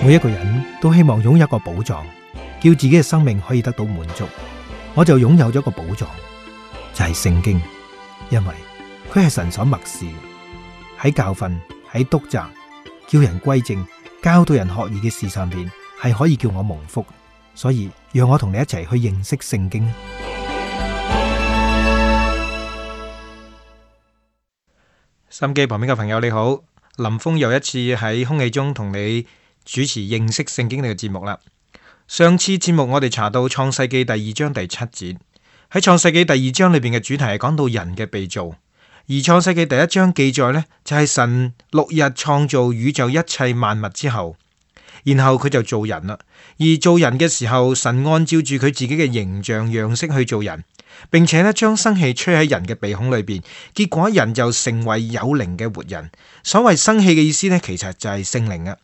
每一個人都希望擁有一個寶藏，叫自己嘅生命可以得到滿足。我就擁有咗一個寶藏，就係聖經，因為佢係神所默示，喺教訓、喺督責、叫人歸正、教導人學義嘅事上邊，係可以叫我蒙福。所以讓我同你一齊去認識聖經。心機旁邊嘅朋友你好，林峰又一次喺空氣中同你主持認識聖經呢個節目啦。上次節目我哋查到創世記第2章第7節，喺創世記第2章裏邊嘅主題係講到人嘅被造，而創世記第1章記載呢，就係神6日創造宇宙一切萬物之後，然後佢就做人啦。而做人嘅時候，神按照住佢自己嘅形象樣式去做人，並且呢將生氣吹喺人嘅鼻孔裏邊，結果人就成為有靈嘅活人。所謂生氣嘅意思呢，其實就係聖靈啊。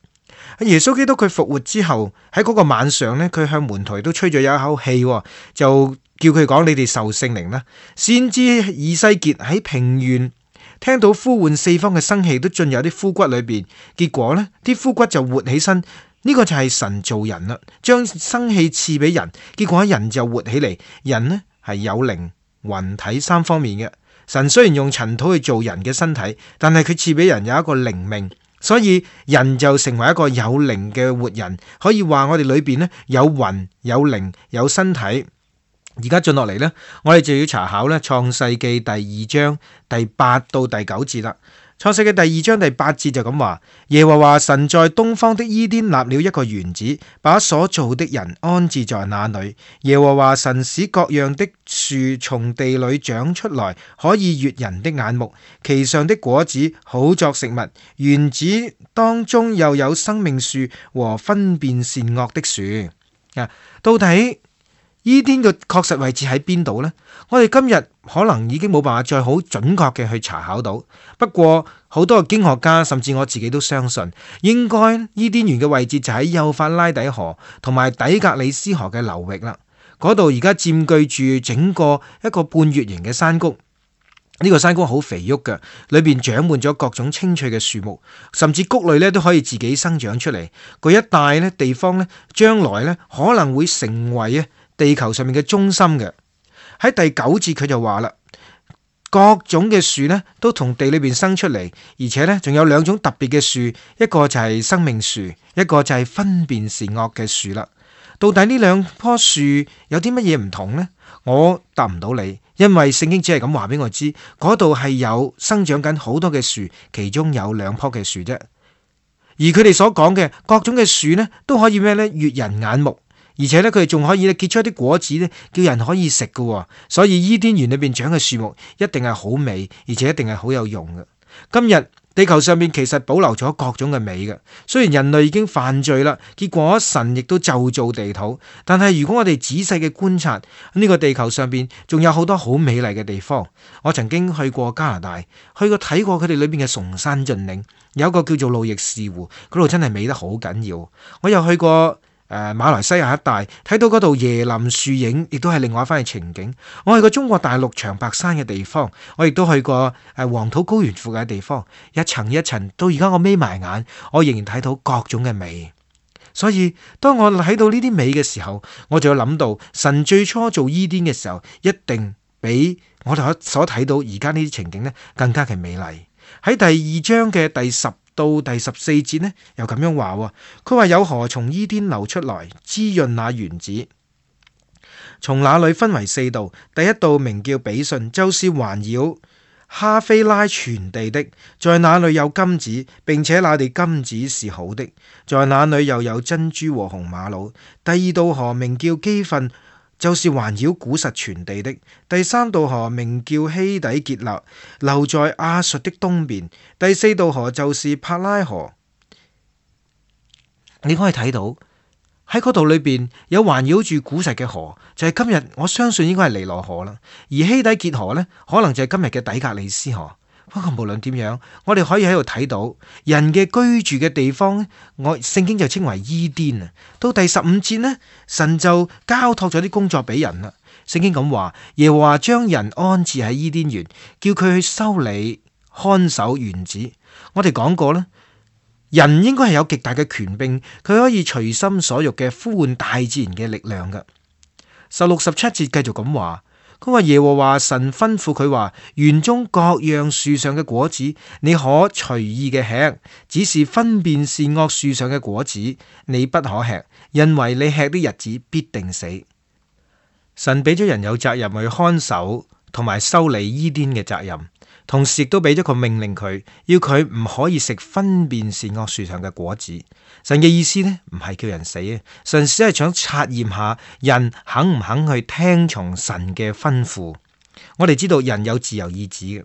耶穌基督佢復活之後，喺嗰個晚上呢，佢向門徒都吹咗有一口氣，就叫佢講：你哋受聖靈啦。先知以西結喺平原聽到呼喚四方嘅生氣都進入啲枯骨裏邊，結果呢啲枯骨就活起身。呢個就係神造人啦，將生氣賜俾人，結果人就活起嚟。人呢係有靈、魂體三方面嘅。神雖然用塵土去做人嘅身體，但係佢賜俾人有一個靈命。所以人就成為一個有靈嘅活人，可以話我哋裏邊呢有魂、有靈、有身體。而家進落嚟呢，我哋就要查考呢創世記第2章第8到第9節啦。創世記第2章第8節就咁話：耶和華神在東方的伊甸立了一個園子，把所造的人安置在那裏。耶和華神使各樣的樹從地裏長出來，可以悅人的眼目，其上的果子好作食物。園子當中又有生命樹和分辨善惡的樹。到底伊甸嘅確實位置喺邊度呢？我哋今日可能已經冇辦法再好準確嘅去查考到。不過好多嘅經學家甚至我自己都相信，應該伊甸園嘅位置就喺幼發拉底河同埋底格里斯河嘅流域啦。嗰度而家佔據住整個一個半月形嘅山谷。呢個山谷好肥沃嘅，裏邊長滿咗各種青翠嘅樹木，甚至谷類咧都可以自己生長出嚟。嗰一帶咧地方咧，將來咧可能會成為地球上面嘅中心嘅。喺第9節佢就話啦，各種嘅樹呢都從地裏邊生出嚟，而且呢仲有2種特別嘅樹，一個就係生命樹，一個就係分辨善惡嘅樹啦。到底呢2棵樹有啲乜嘢唔同呢？我答唔到你，因為聖經只係咁話俾我知，嗰度係有生長緊好多嘅樹，其中有2棵嘅樹啫。而佢哋所講嘅各種嘅樹呢，都可以咩呢？悅人眼目。而且咧，佢哋仲可以咧結出一啲果子咧，叫人可以食嘅。所以伊甸園裏邊長嘅樹木一定係好美，而且一定係好有用嘅。今日地球上面其實保留咗各種嘅美嘅。雖然人類已經犯罪啦，結果神亦都就造地土，但係如果我哋仔細嘅觀察呢個地球上邊，仲有好多好美麗嘅地方。我曾經去過加拿大，去過睇過佢哋裏邊嘅崇山峻嶺，有一個叫做路易士湖，嗰度真係美得好緊要。我又去過馬來西亞一帶，睇到嗰度椰林樹影，亦都係另外一番嘅情景。我去過中國大陸長白山嘅地方，我亦都去過黃土高原附近嘅地方，一層一層，到而家我眯埋眼，我仍然睇到各種嘅美。所以當我睇到呢啲美嘅時候，我就要諗到神最初做伊甸嘅時候，一定比我哋所睇到而家呢啲情景呢更加嘅美麗。喺第2章嘅第10到第14節呢，又咁樣話，佢話有河從伊甸流出來，滋潤那園子。從那裏分為4道，第一道名叫比遜，就是環繞哈菲拉全地的，在那裏有金子，並且那地金子是好的，在那裏又有珍珠和紅瑪瑙。第2道河名叫基訓，就是環繞古實全地的。第3道河名叫希底結勒，流在亞述的東邊。第4道河就是帕拉河。你可以睇到喺嗰度裏邊有環繞住古實嘅河，就係今日我相信應該係尼羅河啦。而希底結河呢，可能就係今日嘅底格里斯河。不過無論點樣，我哋可以喺度睇到人嘅居住嘅地方，聖經就稱為伊甸啊。到第15節呢，神就交託咗啲工作俾人啦。聖經咁話，耶和華將人安置喺伊甸園，叫佢去修理看守園子。我哋講過啦，人應該係有極大嘅權柄，佢可以隨心所欲嘅呼喚大自然嘅力量㗎。16、17節繼續咁話，佢話耶和華神吩咐佢話，園中各樣樹上嘅果子你可隨意嘅吃，只是分辨善惡樹上嘅果子你不可吃，因為你吃的日子必定死。神俾咗人有責任去看守同埋修理伊甸嘅責任，同時亦都俾咗個命令佢，要佢唔可以食分辨善惡樹上嘅果子。神嘅意思呢，唔係叫人死啊，神只係想察驗下人肯唔肯去聽從神嘅吩咐。我哋知道人有自由意志嘅，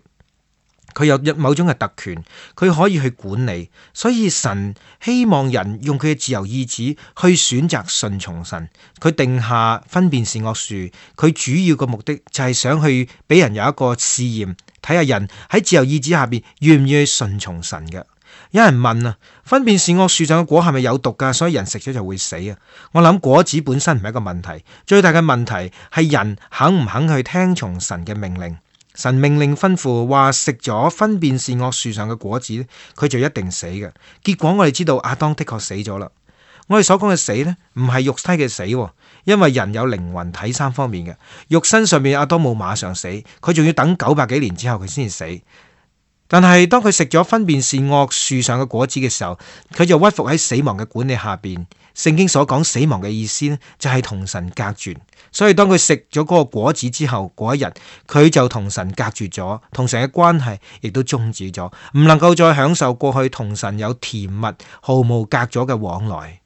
佢有某種嘅特權，佢可以去管理，所以神希望人用佢嘅自由意志去選擇順從神。佢定下分辨善惡樹，佢主要嘅目的就係想去俾人有一個試驗，睇下人喺自由意志下邊願唔願意順從神嘅。有人問啊，分辨善惡樹上嘅果係咪有毒噶？所以人食咗就會死啊？我諗果子本身唔係一個問題，最大嘅問題係人肯唔肯去聽從神嘅命令。神命令吩咐話食咗分辨善惡樹上嘅果子，佢就一定死嘅。結果我哋知道亞當的確死咗啦。我哋所講嘅死呢，唔係肉體嘅死，因為人有靈魂體三方面嘅。肉身上面亞當冇馬上死，佢仲要等900幾年之後佢先至死。但係當佢食咗分辨善惡樹上嘅果子嘅時候，佢就屈服喺死亡嘅管理下邊。聖經所講死亡嘅意思呢，就係同神隔絕。所以當佢食咗嗰個果子之後，嗰一日佢就同神隔絕咗，同神嘅關係亦都終止咗，唔能夠再享受過去同神有甜蜜毫無隔咗嘅往來。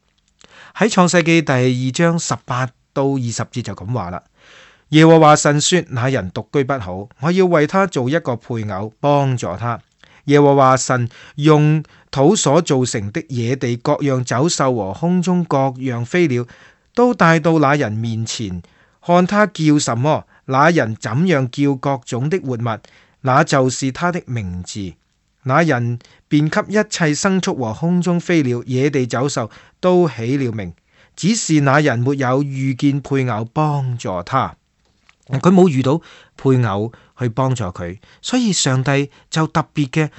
喺創世記第2章18到20節就咁話啦。耶和華神說：那人獨居不好，我要為他做一個配偶，幫助他。耶和華神用土所造成的野地各樣走獸和空中各樣飛鳥，都帶到那人面前，看他叫什麼，那人怎樣叫各種的活物，那就是他的名字。那人便給一切牲畜和空中飛鳥、野地走獸都起了名，只是那人沒有遇見配偶幫助他。佢冇遇到配偶去幫助佢，所以上帝就特別嘅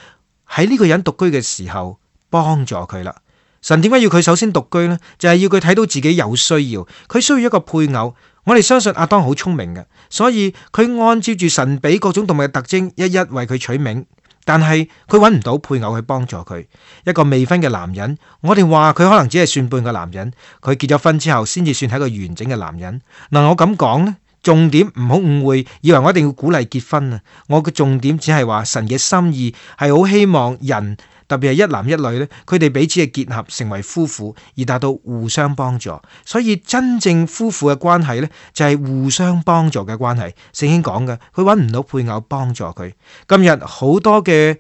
喺呢個人獨居嘅時候幫助佢啦。神點解要佢首先獨居呢？就係要佢睇到自己有需要，佢需要一個配偶。我哋相信亞當好聰明嘅，所以佢按照住神俾各種動物嘅特徵，一一為佢取名。但係佢揾唔到配偶去幫助佢。一個未婚嘅男人，我哋話佢可能只係算半個男人，佢結咗婚之後先至算係一個完整嘅男人。嗱，我咁講呢，重點唔好誤會，以為我一定要鼓勵結婚啊！我嘅重點只係話神嘅心意係好希望人，特別係一男一女咧，佢哋彼此嘅結合成為夫婦，而達到互相幫助。所以真正夫婦嘅關係咧，就係互相幫助嘅關係。聖經講嘅，佢揾唔到配偶幫助佢。今日好多嘅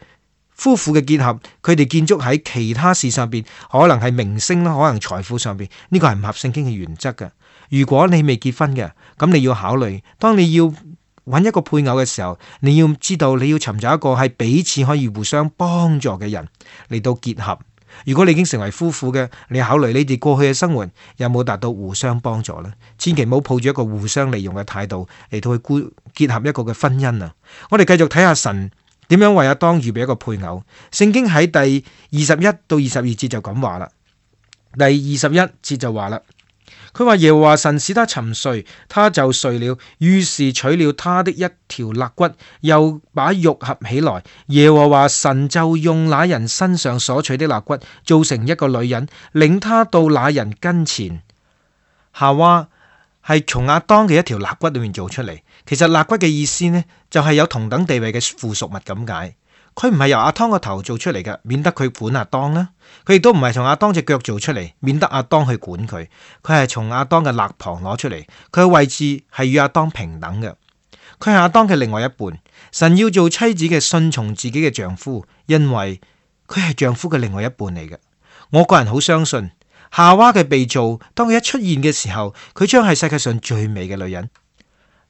夫婦嘅結合，佢哋建築喺其他事上邊，可能係名聲啦，可能財富上邊，呢個係唔合聖經嘅原則嘅。如果你未結婚嘅，咁你要考慮，當你要揾一個配偶嘅時候，你要知道你要尋找一個係彼此可以互相幫助嘅人嚟到結合。如果你已經成為夫婦嘅，你考慮你哋過去嘅生活有冇達到互相幫助呢？千祈唔好抱住一個互相利用嘅態度嚟到去結合一個嘅婚姻啊！我哋繼續睇下神點樣為亞當預備一個配偶。聖經喺第21到22節就咁話啦。第21節就話啦。佢話耶和華神使他沉睡，他就睡了，於是取了他的一條肋骨，又把肉合起來。耶和華神就用那人身上所取的肋骨，造成一個女人，領他到那人跟前。夏娃係從亞當嘅一條肋骨裏面做出嚟。其實肋骨嘅意思呢，就係有同等地位嘅附屬物咁解。佢唔係由亞當個頭做出嚟嘅，免得佢管亞當啦。佢亦都唔係從亞當隻腳做出嚟，免得亞當去管佢。佢係從亞當嘅肋旁攞出嚟，佢嘅位置係與亞當平等嘅。佢係亞當嘅另外一半。神要做妻子嘅順從自己嘅丈夫，因為佢係丈夫嘅另外一半嚟嘅。我個人好相信夏娃嘅被造，當佢一出現嘅時候，佢將係世界上最美嘅女人。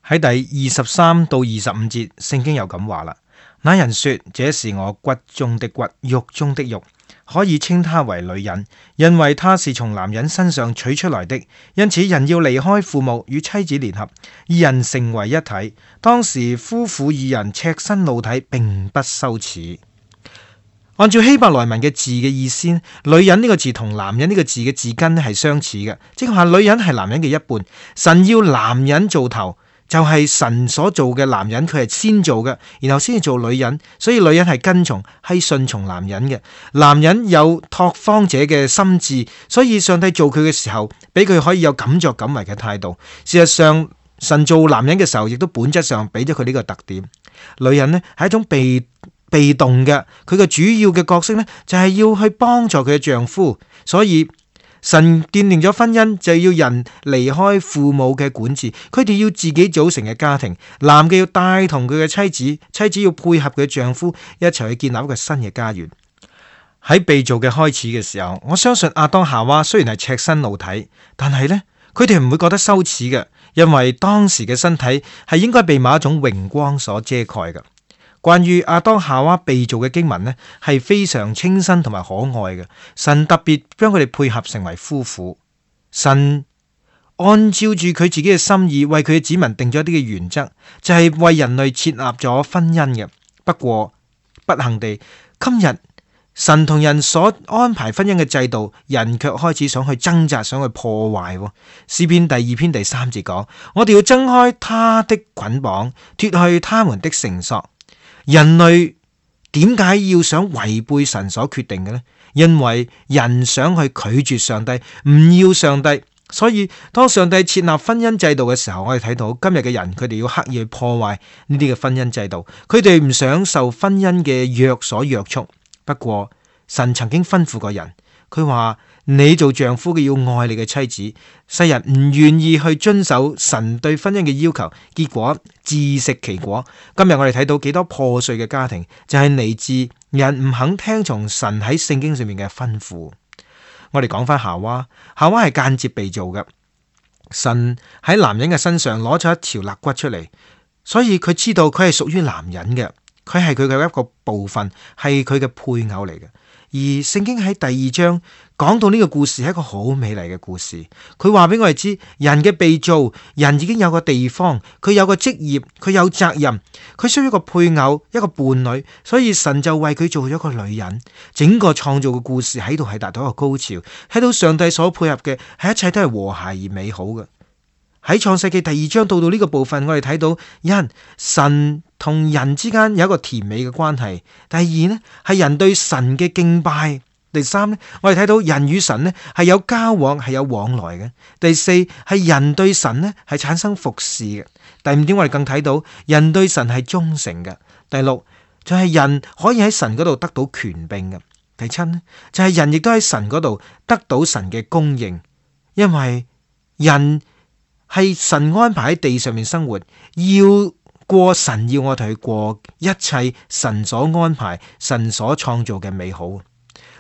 喺第23到25節，聖經又咁話啦。那人說：這是我骨中的骨，肉中的肉，可以稱她為女人，因為她是從男人身上取出來的。因此人要離開父母，與妻子聯合，二人成為一體。當時夫婦二人赤身露體，並不羞恥。按照希伯來文嘅字嘅意思，女人呢個字同男人呢個字嘅字根係相似嘅，即係話女人係男人嘅一半。神要男人做頭，就係神所做嘅男人，佢係先做嘅，然後先至做女人。所以女人係跟從，係順從男人嘅。男人有拓荒者嘅心智，所以上帝做佢嘅時候，俾佢可以有敢作敢為嘅態度。事實上，神做男人嘅時候，亦都本質上俾咗佢呢個特點。女人呢係一種被動嘅，佢嘅主要嘅角色呢，就係要去幫助佢嘅丈夫。所以神奠定咗婚姻，就要人離開父母嘅管治，佢哋要自己組成嘅家庭。男嘅要帶同佢嘅妻子，妻子要配合佢嘅丈夫，一齊去建立一個新嘅家園。喺被造嘅開始嘅時候，我相信亞當夏娃雖然係赤身露體，但係呢，佢哋唔會覺得羞恥嘅，因為當時嘅身體係應該被某一種榮光所遮蓋嘅。關於亞當夏娃被造嘅經文呢，係非常清新同埋可愛嘅。神特別將佢哋配合成為夫婦。神按照住佢自己嘅心意，為佢嘅子民定咗一啲嘅原則，就係為人類設立咗婚姻嘅。不過不幸地，今日神同人所安排婚姻嘅制度，人卻開始想去掙扎，想去破壞。詩篇第2篇第3節講：我哋要掙開他的捆綁，脫去他們的繩索。人類點解要想違背神所決定嘅呢？因為人想去拒絕上帝，唔要上帝。所以當上帝設立婚姻制度嘅時候，我哋睇到今日嘅人，佢哋要刻意去破壞呢啲嘅婚姻制度。佢哋唔想受婚姻嘅約所約束。不過神曾經吩咐過人，佢話你做丈夫嘅要愛你嘅妻子。世人唔願意去遵守神對婚姻嘅要求，結果自食其果。今日我哋睇到幾多破碎嘅家庭，就係嚟自人唔肯聽從神喺聖經上面嘅吩咐。我哋講翻夏娃，夏娃係間接被造嘅。神喺男人嘅身上攞咗一條肋骨出嚟，所以佢知道佢係屬於男人嘅，佢係佢嘅一個部分，係佢嘅配偶嚟嘅。而聖經喺第2章講到呢個故事係一個好美麗嘅故事。佢話俾我哋知，人嘅被造，人已經有個地方，佢有個職業，佢有責任，佢需要一個配偶，一個伴侶，所以神就為佢做咗個女人。整個創造嘅故事喺度係達到一個高潮，睇到上帝所配合嘅係一切都係和諧而美好嘅。喺創世記第2章到呢個部分，我哋睇到神同人之間有一個甜美嘅關係。第2呢，係人對神嘅敬拜。第3呢，我哋睇到人與神呢係有交往，係有往來嘅。第4係人對神呢係產生服侍嘅。第5點我哋更睇到人對神係忠誠嘅。第6就係人可以喺神嗰度得到權柄嘅。第7呢就係人亦都喺神嗰度得到神嘅供應，因為人係神安排喺地上面生活，要過神要我哋去過一切神所安排、神所創造嘅美好。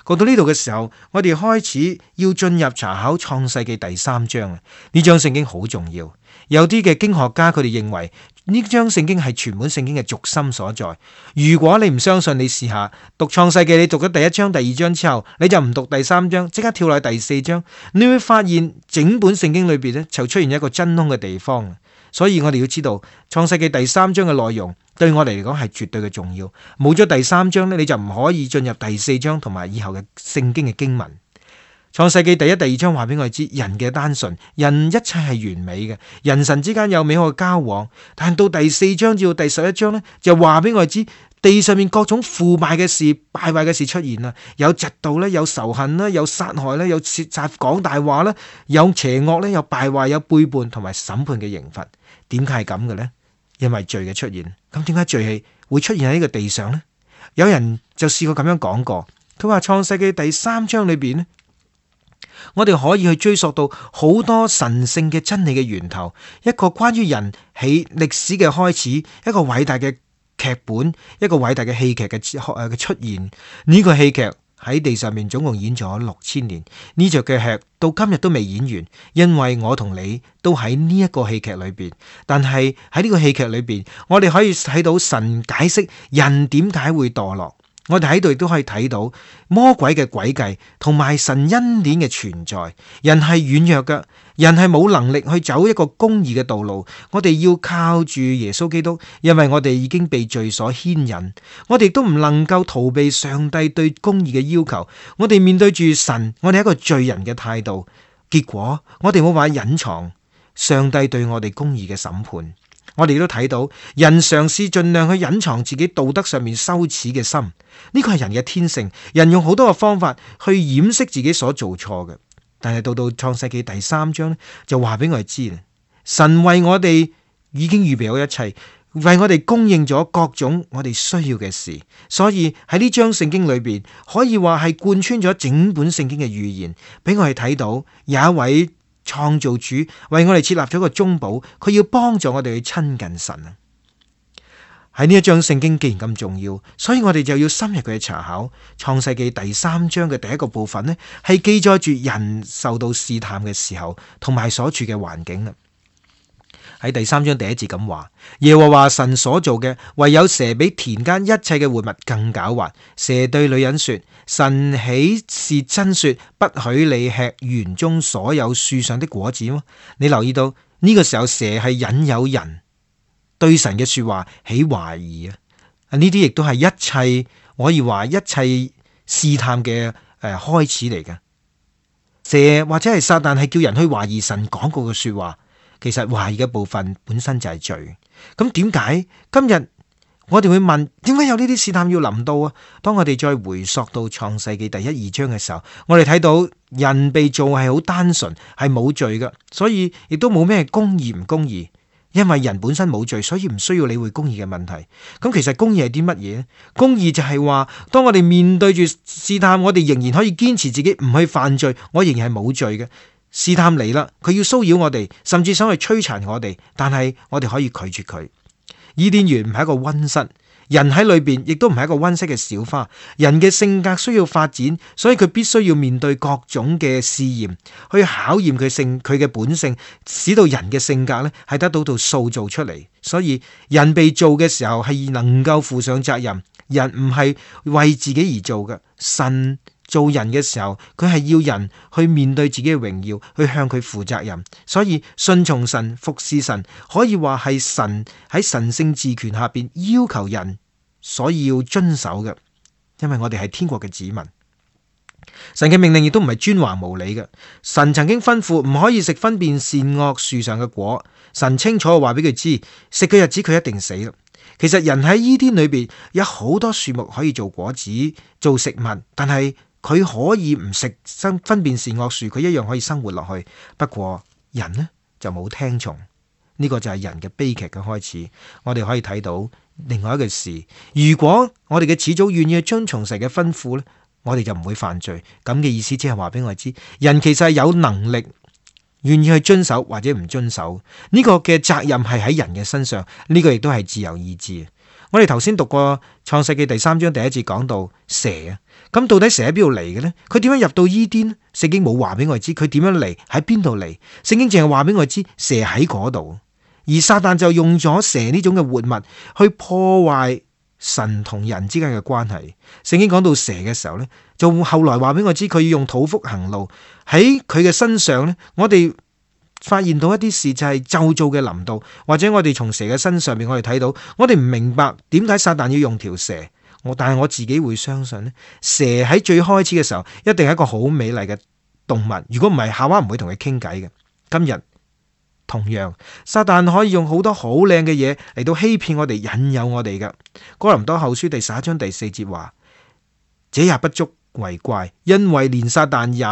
講到呢度嘅時候，我哋開始要進入查考創世記第3章。呢章聖經好重要，有啲嘅經學家佢哋認為呢章聖經係全本聖經嘅軸心所在。如果你唔相信，你試下讀創世記，你讀咗第1章、第2章之後，你就唔讀第3章，即刻跳落去第4章，你會發現整本聖經裏邊呢就出現一個真空嘅地方。所以我哋要知道創世記第3章嘅內容對我哋嚟講係絕對嘅重要。冇咗第3章呢，你就唔可以進入第4章同埋以後嘅聖經嘅經文。創世記第1、第2章話俾我哋知人嘅單純，人一切係完美嘅，人神之間有美好嘅交往。但到第4章至到第11章呢，就話俾我哋知地上面各種腐敗嘅事、敗壞嘅事出現啦，有嫉妒啦，有仇恨啦，有殺害啦，有竊賊講大話啦，有邪惡咧，有敗壞，有背叛同埋審判嘅刑罰。點解係咁嘅呢？因為罪嘅出現。咁點解罪係會出現喺呢個地上呢？有人就試過咁樣講過，佢話創世記第3章裏邊呢，我哋可以去追溯到好多神聖嘅真理嘅源頭，一個關於人喺歷史嘅開始，一個偉大嘅劇本，一個偉大嘅戲劇嘅出現。呢個戲劇喺地上面總共演咗6000年，呢隻嘅劇到今日都未演完，因為我同你都喺呢一個戲劇裏邊。但係喺呢個戲劇裏邊，我哋可以睇到神解釋人點解會墮落。我哋喺度亦都可以睇到魔鬼嘅詭計同埋神恩典嘅存在。人係軟弱嘅，人係冇能力去走一個公義嘅道路。我哋要靠住耶穌基督，因為我哋已經被罪所牽引。我哋都唔能夠逃避上帝對公義嘅要求。我哋面對住神，我哋係一個罪人嘅態度。結果我哋冇辦法隱藏上帝對我哋公義嘅審判。我哋都睇到人嘗試盡量去隱藏自己道德上面羞恥嘅心，呢個係人嘅天性。人用好多嘅方法去掩飾自己所做錯嘅，但係到創世記第3章就話俾我哋知，神為我哋已經預備好一切，為我哋供應咗各種我哋需要嘅事。所以喺呢章聖經裏邊，可以話係貫穿咗整本聖經嘅預言，俾我哋睇到有一位創造主為我哋設立咗個中保，佢要幫助我哋去親近神啊！喺呢一章聖經既然咁重要，所以我哋就要深入佢去查考。創世記第3章嘅第一個部分呢，係記載住人受到試探嘅時候同埋所處嘅環境啦。喺第3章第1節咁話，耶和華神所做嘅，唯有蛇比田間一切嘅活物更狡猾。蛇對女人說：神豈是真說，不許你吃園中所有樹上的果子嗎？你留意到呢個時候，蛇係引誘人對神嘅說話起懷疑啊！呢啲亦都係一切可以話一切試探嘅開始嚟嘅。蛇或者係撒旦係叫人去懷疑神講過嘅說話。其實懷疑嘅部分本身就係罪。咁點解今日我哋會問，點解有呢啲試探要臨到啊？當我哋再回溯到創世記第1、2章嘅時候，我哋睇到人被造係好單純，係冇罪嘅，所以亦都冇咩公義唔公義。因為人本身冇罪，所以唔需要理會公義嘅問題。咁其實公義係啲乜嘢？公義就係話，當我哋面對住試探，我哋仍然可以堅持自己唔去犯罪，我仍然係冇罪嘅。試探嚟啦，佢要騷擾我哋，甚至想去摧殘我哋，但係我哋可以拒絕佢。伊甸園唔係一個溫室，人喺裏邊亦都唔係一個溫室嘅小花。人嘅性格需要發展，所以佢必須要面對各種嘅試驗，去考驗佢嘅本性，使到人嘅性格咧係得到塑造出嚟。所以人被造嘅時候係能夠負上責任，人唔係為自己而做嘅。神做人嘅時候，佢係要人去面對自己嘅榮耀，去向佢負責任。所以順從神、服侍神，可以話係神喺神聖治權下邊要求人所以要遵守嘅。因為我哋係天國嘅子民，神嘅命令亦都唔係專橫無理嘅。神曾經吩咐唔可以食分辨善惡樹上嘅果，神清楚話俾佢知，食嘅日子佢一定死啦。其實人喺伊甸裏邊有好多樹木可以做果子、做食物，但係佢可以唔食分辨善惡樹，佢一樣可以生活落去。不過人呢就冇聽從，呢個就係人嘅悲劇嘅開始。我哋可以睇到另外一個事，如果我哋嘅始祖願意去遵從神嘅吩咐呢，我哋就唔會犯罪。咁嘅意思即係話俾我知，人其實係有能力願意去遵守或者唔遵守，呢個嘅責任係喺人嘅身上，呢個亦都係自由意志。我哋頭先讀過創世記第3章第1節講到蛇啊，咁到底蛇喺邊度嚟嘅呢？佢點樣入到伊甸？聖經冇話俾我哋知佢點樣嚟，喺邊度嚟？聖經淨係話俾我哋知蛇喺嗰度，而撒旦就用咗蛇呢種嘅活物去破壞神同人之間嘅關係。聖經講到蛇嘅時候呢，就後來話俾我知佢要用肚腹行路，喺佢嘅身上呢，我哋發現到一啲事就係咒詛嘅臨到，或者我哋從蛇嘅身上面我哋睇到，我哋唔明白點解撒旦要用條蛇。但係我自己會相信呢，蛇喺最開始嘅時候一定係一個好美麗嘅動物，如果唔係夏娃唔會同佢傾偈嘅。今日同樣，撒旦可以用好多好靚嘅嘢嚟到欺騙我哋、引誘我哋嘅。哥林多後書第11章第4節話：這也不足為怪，因為連撒旦也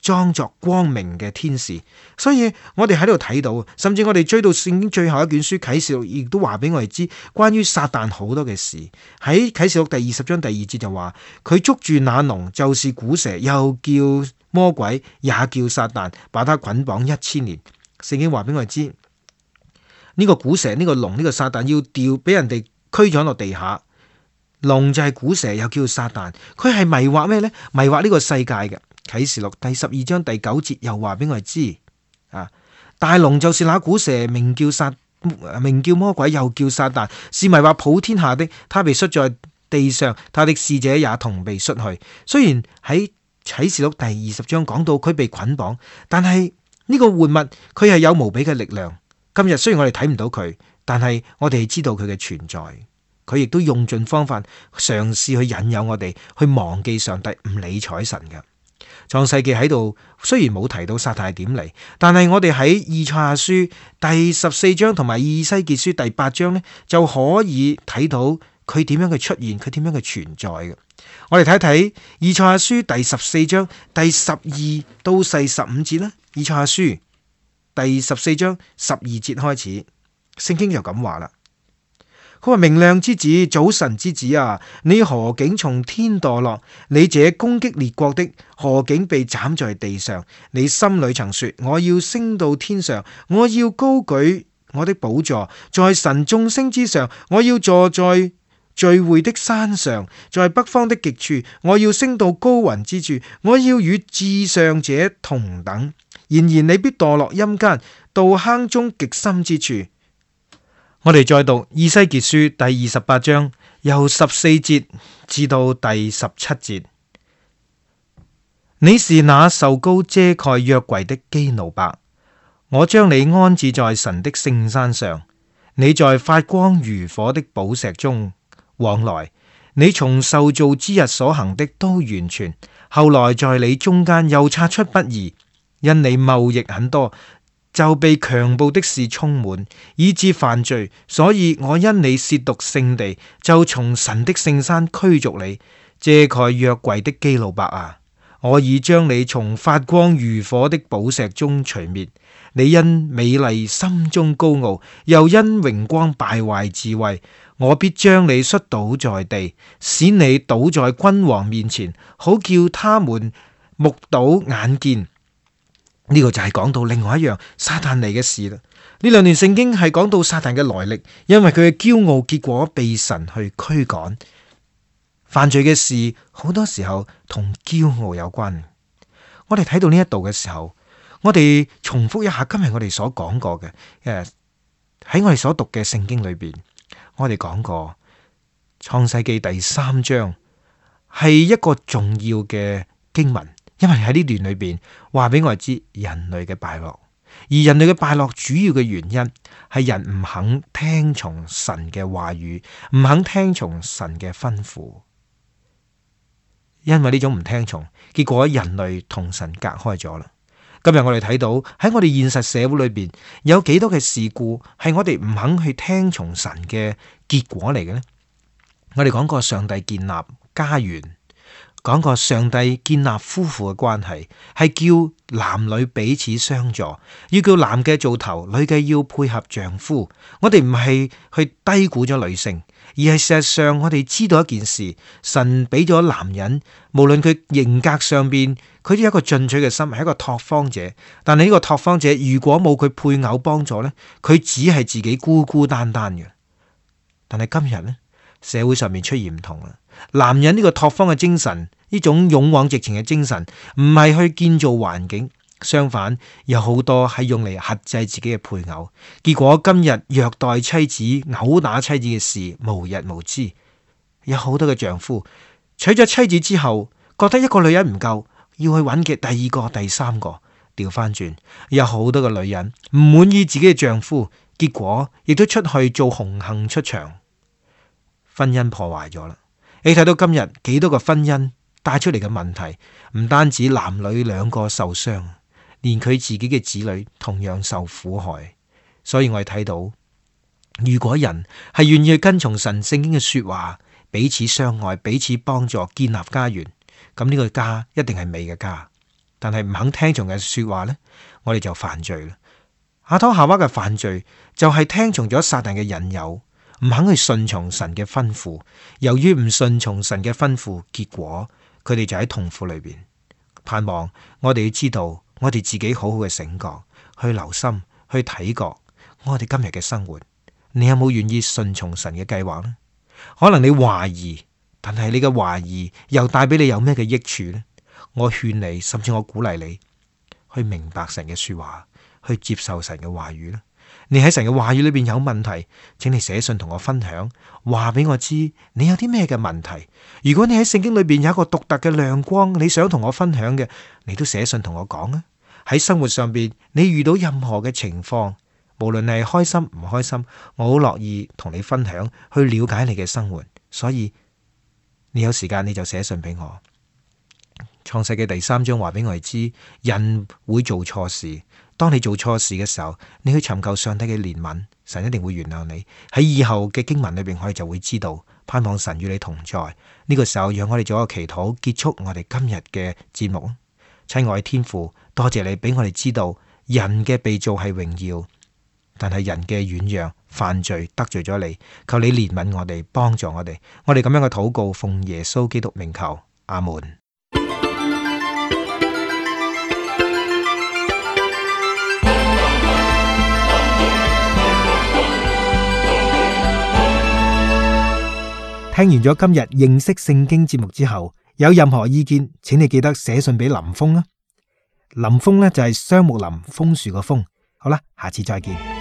裝作光明嘅天使。所以我哋喺度睇到，甚至我哋追到聖經最後一卷書啟示錄，亦都話俾我哋知關於撒旦好多嘅事。喺啟示錄第20章第2節就話，佢捉住那龍，就是古蛇，又叫魔鬼，也叫撒旦，把他捆綁1000年。聖經話俾我哋知，呢個古蛇、呢個龍、呢個撒旦要掉俾人哋驅咗落地下。龍就係古蛇，又叫撒旦，佢係迷惑咩呢？迷惑呢個世界嘅。啟示錄第12章第9節又話俾我哋知，大龍就是那古蛇，名叫魔鬼，又叫撒旦，是迷惑普天下的。他被摔在地上他的使者也同被摔去。雖然喺啟示錄第20章講到佢被捆綁，但係呢個活物佢係有無比嘅力量。今日雖然我哋睇唔到佢，但係我哋知道佢嘅存在。佢亦都用盡方法嘗試去引誘我哋去忘記上帝，唔理睬神嘅。創世記喺度雖然冇提到撒旦係點嚟，但係我哋喺以賽亞書第14章同埋以西結書第8章呢，就可以睇到佢點樣嘅出現，佢點樣嘅存在嘅。我哋睇睇以賽亞書第14章第12到15節啦。以賽亞書第14章12節開始，聖經就咁話啦。佢話：明亮之子，早晨之子啊，你何竟從天墮落？你這攻擊列國的，何竟被斬在地上？你心裏曾說：我要升到天上，我要高舉我的寶座，在神眾星之上，我要坐在聚會的山上，在北方的極處，我要升到高雲之處，我要與至上者同等。然而你必墮落陰間，到坑中極深之處。我哋再讀以西結書第28章，由14節至到第17節。你是那受膏遮蓋約櫃的基路伯，我將你安置在神的聖山上。你在發光如火的寶石中往來，你從受造之日所行的都完全。後來在你中間又察出不義，因你貿易很多，就被強暴的事充滿，以致犯罪。所以我因你褻瀆聖地，就從神的聖山驅逐你。遮蓋約櫃的基路伯啊，我已將你從發光如火的寶石中除滅。你因美麗心中高傲，又因榮光敗壞智慧，我必將你摔倒在地，使你倒在君王面前，好叫他們目睹眼見。呢個就係講到另外一樣撒旦嚟嘅事啦。呢兩段聖經係講到撒旦嘅來歷，因為佢嘅驕傲，結果被神去驅趕。犯罪嘅事好多時候同驕傲有關。我哋睇到呢一度嘅時候，我哋重複一下今日我哋所講過嘅，喺我哋所讀嘅聖經裏邊，我哋講過創世記第3章係一個重要嘅經文。因為喺呢段裏邊話俾我哋知人類嘅敗落，而人類嘅敗落主要嘅原因係人唔肯聽從神嘅話語，唔肯聽從神嘅吩咐。因為呢種唔聽從，結果人類同神隔開咗啦。今日我哋睇到喺我哋現實社會裏邊有幾多嘅事故係我哋唔肯去聽從神嘅結果嚟嘅呢？我哋講過上帝建立家園，講過上帝建立夫婦嘅關係，係叫男女彼此相助，要叫男嘅做頭，女嘅要配合丈夫。我哋唔係去低估咗女性，而係事實上我哋知道一件事，神俾咗男人，無論佢型格上邊，佢都有一個進取嘅心，係一個拓荒者。但係呢個拓荒者如果冇佢配偶幫助呢，佢只係自己孤孤單單嘅。但係今日呢，社會上面出現唔同啦。男人呢個拓荒嘅精神，呢種勇往直前嘅精神，唔係去建造環境，相反有好多係用嚟克制自己嘅配偶。結果今日虐待妻子、毆打妻子嘅事無日無之。有好多嘅丈夫娶咗妻子之後，覺得一個女人唔夠，要去揾嘅第二個、第三個。調翻轉，有好多嘅女人唔滿意自己嘅丈夫，結果亦都出去做紅杏出牆，婚姻破壞咗啦。你睇到今日幾多個婚姻帶出嚟嘅問題，唔單止男女兩個受傷，連佢自己嘅子女同樣受苦害。所以我哋睇到，如果人係願意去跟從神聖經嘅說話，彼此相愛、彼此幫助、建立家園，咁呢個家一定係美嘅家。但係唔肯聽從嘅說話呢，我哋就犯罪啦。亞當夏娃嘅犯罪就係聽從咗撒旦嘅引誘，唔肯去順從神嘅吩咐。由於唔順從神嘅吩咐，結果佢哋就喺痛苦裏邊。盼望我哋要知道，我哋自己好好嘅醒覺，去留心，去睇覺我哋今日嘅生活。你有冇願意順從神嘅計劃呢？可能你懷疑，但係你嘅懷疑又帶俾你有咩嘅益處呢？我勸你，甚至我鼓勵你去明白神嘅說話，去接受神嘅話語呢。你喺神嘅話語裏邊有問題，請你寫信同我分享，話俾我知你有啲咩嘅問題。如果你喺聖經裏邊有一個獨特嘅亮光，你想同我分享嘅，你都寫信同我講啊。喺生活上邊，你遇到任何嘅情況，無論係開心唔開心，我好樂意同你分享，去了解你嘅生活。所以你有時間你就寫信俾我。創世記第3章話俾我哋知，人會做錯事。當你做錯事嘅時候，你去尋求上帝嘅憐憫，神一定會原諒你。喺以後嘅經文裏邊，我哋就會知道，盼望神與你同在。呢個時候，讓我哋做一個祈禱，結束我哋今日嘅節目。親愛天父，多謝你俾我哋知道，人嘅被造係榮耀，但係人嘅軟弱、犯罪得罪咗你，求你憐憫我哋，幫助我哋。我哋咁樣嘅禱告，奉耶穌基督名求，阿門。聽完咗今日認識聖經節目之後，有任何意見，請你記得寫信俾林峰啊。林峰呢就係雙木林楓樹個楓。好啦，下次再見。